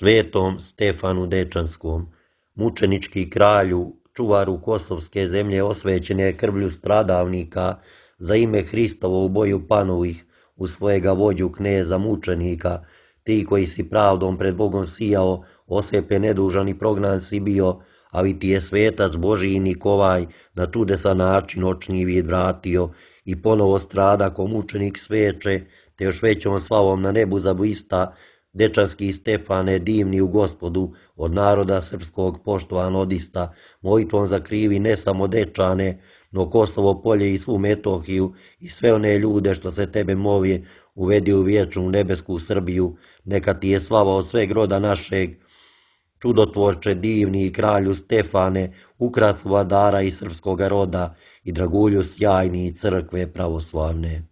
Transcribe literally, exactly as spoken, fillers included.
svetom Stefanu Dečanskom, mučenički kralju, čuvaru kosovske zemlje osvećene krvlju stradavnika, za ime Hristovo u boju panovih, u svojega vođu kneza mučenika, ti koji si pravdom pred Bogom sijao, osvepe nedužan i prognan si bio, ali ti je svetac Božiji Nikovaj na čudesan način očni vid vratio i ponovo strada ko mučenik sveče, te još većom slavom na nebu zablista, Dečanski Stefane, divni u Gospodu, od naroda srpskog poštovan odista, molitvom zakrivi ne samo Dečane, no Kosovo polje i svu Metohiju i sve one ljude što se tebe moli, uvedi u vječnu nebesku Srbiju, neka ti je slava od sveg roda našeg, čudotvorče divni i kralju Stefane, ukras vladara i srpskoga roda i dragulju sjajni crkve pravoslavne.